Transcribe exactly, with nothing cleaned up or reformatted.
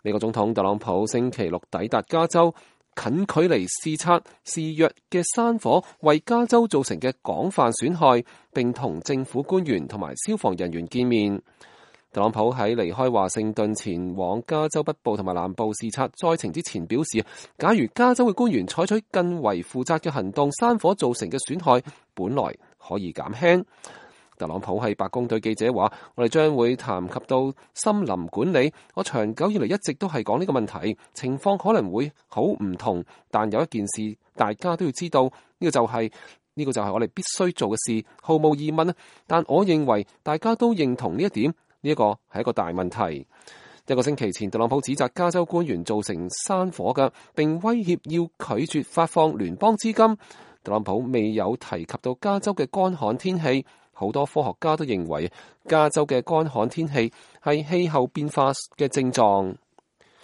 美國總統特朗普星期六抵達加州，近距離視察肆虐嘅山火為加州造成嘅廣泛損害，並同政府官員同埋消防人員見面。特朗普喺離開華盛頓前往加州北部同埋南部視察災情之前表示，假如加州嘅官員採取更為負責嘅行動，山火造成嘅損害本來可以減輕。特朗普喺白宮對記者話：我哋將會談及到森林管理，我長久以嚟一直都係講呢個問題，情況可能會好唔同，但有一件事大家都要知道，呢個就係呢個就係我哋必須做嘅事，毫無疑問。但我認為大家都認同呢一點，呢一個係一個大問題。一個星期前，特朗普指責加州官員造成山火嘅，並威脅要拒絕發放聯邦資金。特朗普未有提及到加州嘅乾旱天氣。好多科學家都認為加州嘅乾旱天氣係氣候變化嘅症狀。